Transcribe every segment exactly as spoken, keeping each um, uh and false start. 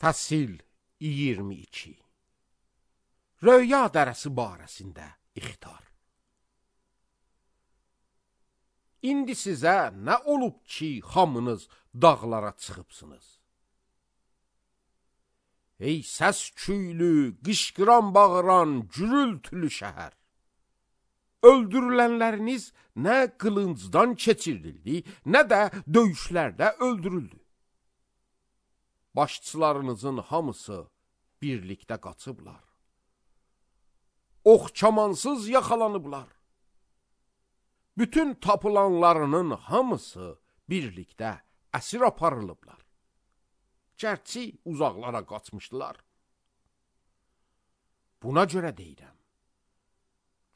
Fəsil iyirmi iki. Röya dərəsi barəsində ixtar. İndi sizə nə olub ki, hamınız dağlara çıxıbsınız? Ey səs küylü, qışqıran bağıran, gürültülü şəhər! Öldürülənləriniz nə qılıncdan keçirildi, nə də döyüşlərdə öldürüldü. Başçılarınızın hamısı birlikdə qaçıblar. Oxçamansız yaxalanıblar. Bütün tapılanlarının hamısı birlikdə əsir aparılıblar. Gərçi uzaqlara qaçmışdılar. Buna görə deyirəm,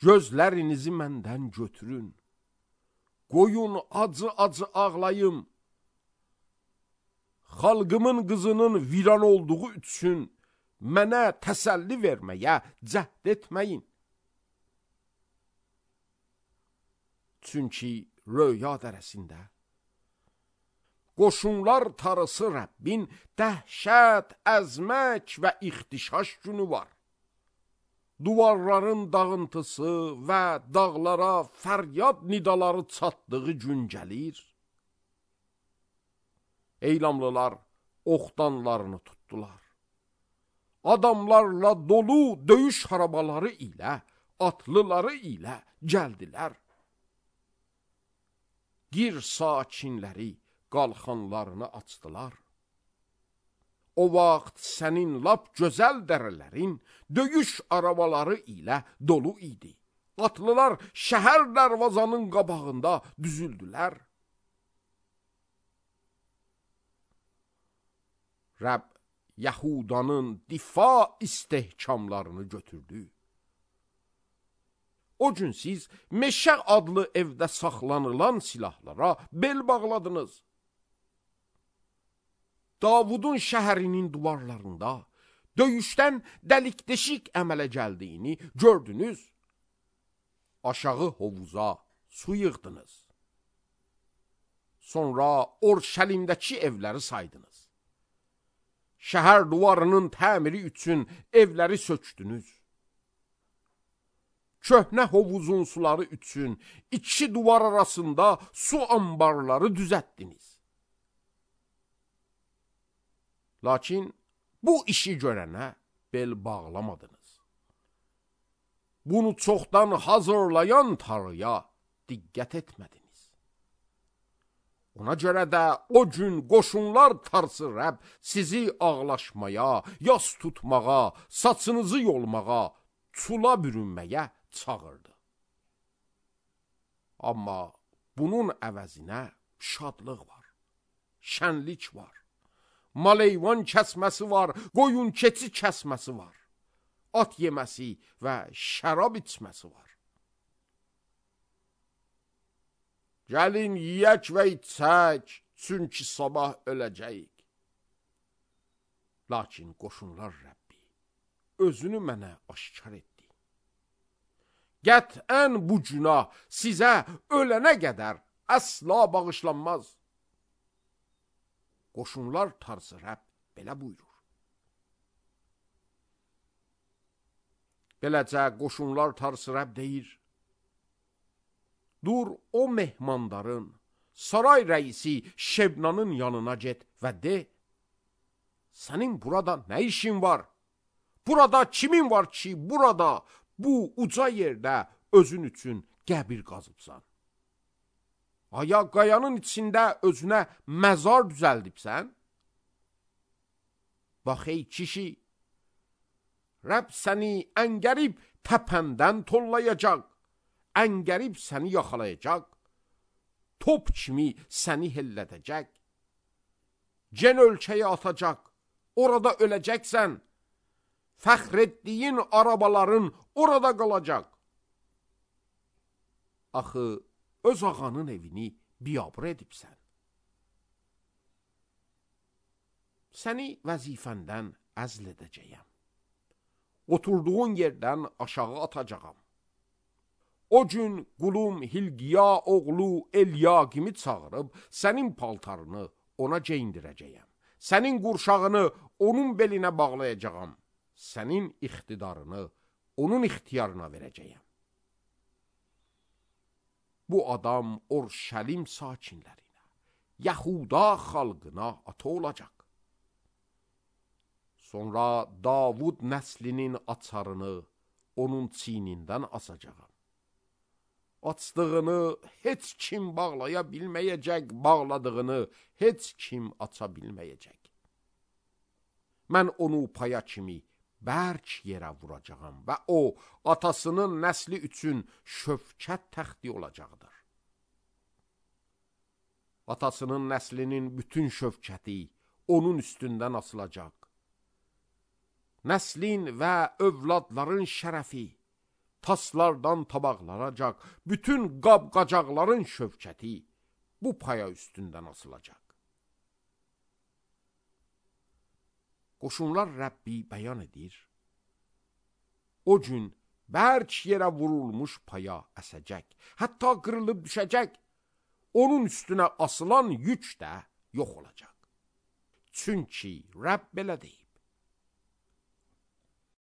gözlərinizi məndən götürün, qoyun acı-acı ağlayım, xalqımın qızının viran olduğu üçün mənə təsəlli verməyə cəhd etməyin. Çünki röya dərəsində qoşunlar tarısı Rəbbin dəhşət, əzmək və ixtişaş günü var. Duvarların dağıntısı və dağlara fəryad nidaları çatdığı gün gəlir. Eylamlılar oxdanlarını tutdular. Adamlarla dolu döyüş harabaları ilə, atlıları ilə gəldilər. Gir sakinləri qalxanlarını açdılar. O vaxt sənin lap gözəl dərələrin döyüş arabaları ilə dolu idi. Atlılar şəhər dərvazanın qabağında düzüldülər. Rəbb Yahudanın difa istehkamlarını götürdü. O gün siz Meşə adlı evdə saxlanılan silahlara bel bağladınız. Davudun şəhərinin duvarlarında döyüşdən dəlik-deşik əmələ gəldiyini gördünüz. Aşağı hovuza su yığdınız. Sonra Orşəlimdəki evləri saydınız. Şəhər duvarının təmiri üçün evləri sökdünüz. Köhnə hovuzun suları üçün iki duvar arasında su ambarları düzəltdiniz. Lakin bu işi görənə bel bağlamadınız. Bunu çoxdan hazırlayan Tanrıya diqqət etmədiniz. Ona görə də o gün qoşunlar tarısı Rəbb sizi ağlaşmaya, yas tutmağa, saçınızı yolmağa, çula bürünməyə çağırdı. Amma bunun əvəzinə şadlıq var, şənlik var, maleyvan kəsməsi var, qoyun keçi kəsməsi var, at yeməsi və şərab içməsi var. Gəlin yiyək və içək, çünki sabah öləcəyik. Lakin qoşunlar Rəbbi özünü mənə aşkar etdi. Qətən bu günah sizə ölənə qədər əsla bağışlanmaz. Qoşunlar tarısı Rəbb belə buyurur. Beləcə qoşunlar tarısı Rəbb deyir, dur o mehmandarın, saray rəisi Şebnanın yanına get və de, sənin burada nə işin var? Burada kimin var ki, burada bu uca yerdə özün üçün qəbir qazıbsan? Aya qayanın içində özünə məzar düzəldibsən? Bax ey kişi, Rəbb səni əngərib təpəndən tollayacaq, əngərib səni yaxalayacaq, top kimi səni hellədəcək, cen ölkəyə atacaq, orada öləcəksən, fəxr etdiyin arabaların orada qalacaq. Axı, öz ağanın evini biabır edibsən. Səni vəzifəndən əzl edəcəyəm. Oturduğun yerdən aşağı atacağam. O gün qulum Hilqiya oğlu Elyaqimi çağırıb, sənin paltarını ona geyindirəcəyəm. Sənin qurşağını onun belinə bağlayacağam. Sənin ixtidarını onun ixtiyarına verəcəyəm. Bu adam Orşəlim sakinlərinə, Yahuda xalqına ata olacaq. Sonra Davud nəslinin açarını onun çiynindən asacağam. Açdığını heç kim bağlaya bilməyəcək, bağladığını heç kim aça bilməyəcək. Mən onu paya kimi bərk yerə vuracağam və o, atasının nəsli üçün şövkət təxti olacaqdır. Atasının nəslinin bütün şövkəti onun üstündən asılacaq. Nəslin və övladların şərəfi taslardan tabaqlanacaq, bütün qab-qacaqların şövkəti bu paya üstündən asılacaq. Qoşunlar Rəbbi bəyan edir. O gün bərk yerə vurulmuş paya əsəcək, hətta qırılıb düşəcək, onun üstünə asılan yük də yox olacaq. Çünki Rəbb belə deyib.